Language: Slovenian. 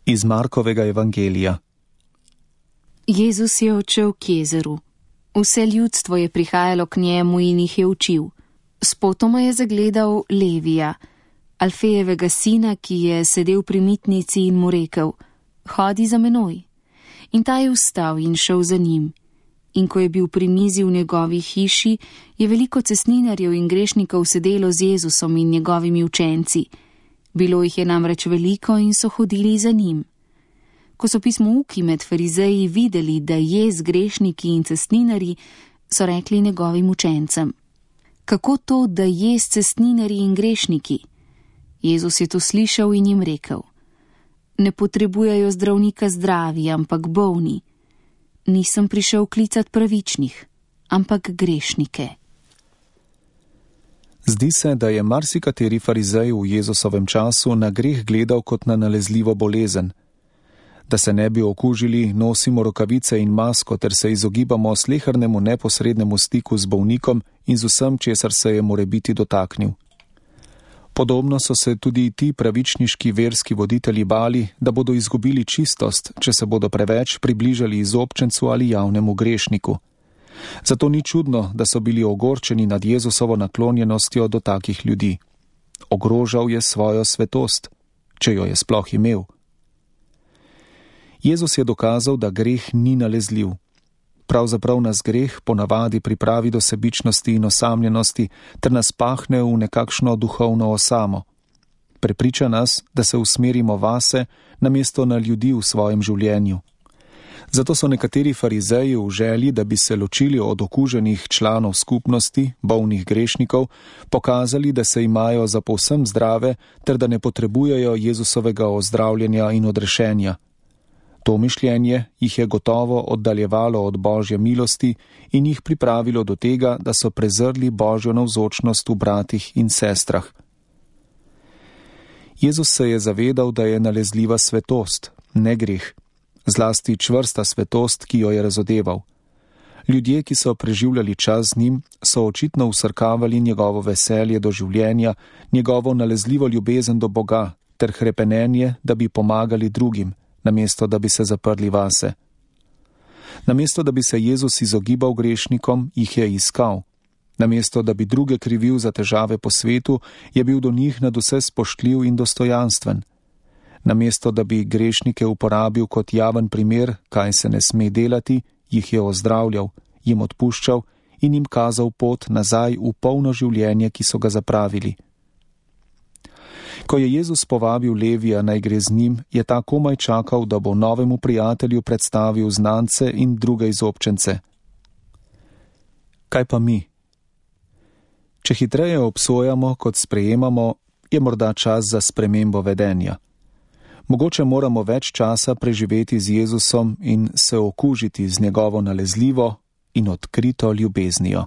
Iz Markovega evangelija. Jezus je odšel k jezeru. Vse ljudstvo je prihajalo k njemu in jih je učil. Spotoma je zagledal Levija, Alfejevega sina, ki je sedel pri mitnici in mu rekel: "Hodi za menoj." In ta je vstal in šel za njim. In ko je bil pri mizi v njegovi hiši, je veliko cestninarjev in grešnikov sedelo z Jezusom in njegovimi učenci. Bilo jih je namreč veliko in so hodili za njim. Ko so pismouki med farizeji videli, da je z grešniki in cestninarji, so rekli njegovim učencem: "Kako to, da je s cestninarji in grešniki?" Jezus je to slišal in jim rekel: "Ne potrebujejo zdravnika zdravi, ampak bolni. Nisem prišel klicat pravičnih, ampak grešnike." Zdi se, da je marsikateri farizej v Jezusovem času na greh gledal kot na nalezljivo bolezen. Da se ne bi okužili, nosimo rokavice in masko ter se izogibamo slehernemu neposrednemu stiku z bolnikom in z vsem, česar se je morebiti dotaknil. Podobno so se tudi ti pravičniški verski voditelji bali, da bodo izgubili čistost, če se bodo preveč približali izobčencu ali javnemu grešniku. Zato ni čudno, da so bili ogorčeni nad Jezusovo naklonjenostjo do takih ljudi. Ogrožal je svojo svetost, če jo je sploh imel. Jezus je dokazal, da greh ni nalezljiv. Pravzaprav nas greh ponavadi pripravi do sebičnosti in osamljenosti ter nas pahne v nekakšno duhovno osamo. Prepriča nas, da se usmerimo vase, namesto na ljudi v svojem življenju. Zato so nekateri farizeji v želji, da bi se ločili od okuženih članov skupnosti, bolnih grešnikov, pokazali, da se imajo za povsem zdrave ter da ne potrebujejo Jezusovega ozdravljenja in odrešenja. To mišljenje jih je gotovo oddaljevalo od Božje milosti in jih pripravilo do tega, da so prezrli Božjo navzočnost v bratih in sestrah. Jezus se je zavedal, da je nalezljiva svetost, ne greh, zlasti čvrsta svetost, ki jo je razodeval. Ljudje, ki so preživljali čas z njim, so očitno vsrkavali njegovo veselje do življenja, njegovo nalezljivo ljubezen do Boga ter hrepenenje, da bi pomagali drugim, namesto da bi se zaprli vase. Namesto da bi se Jezus izogibal grešnikom, jih je iskal. Namesto da bi druge krivil za težave po svetu, je bil do njih nadvse spoštljiv in dostojanstven. Namesto da bi grešnike uporabil kot javen primer, kaj se ne sme delati, jih je ozdravljal, jim odpuščal in jim kazal pot nazaj v polno življenje, ki so ga zapravili. Ko je Jezus povabil Levija naj gre z njim, je ta komaj čakal, da bo novemu prijatelju predstavil znance in druge izobčence. Kaj pa mi? Če hitreje obsojamo, kot sprejemamo, je morda čas za spremembo vedenja. Mogoče moramo več časa preživeti z Jezusom in se okužiti z njegovo nalezljivo in odkrito ljubeznijo.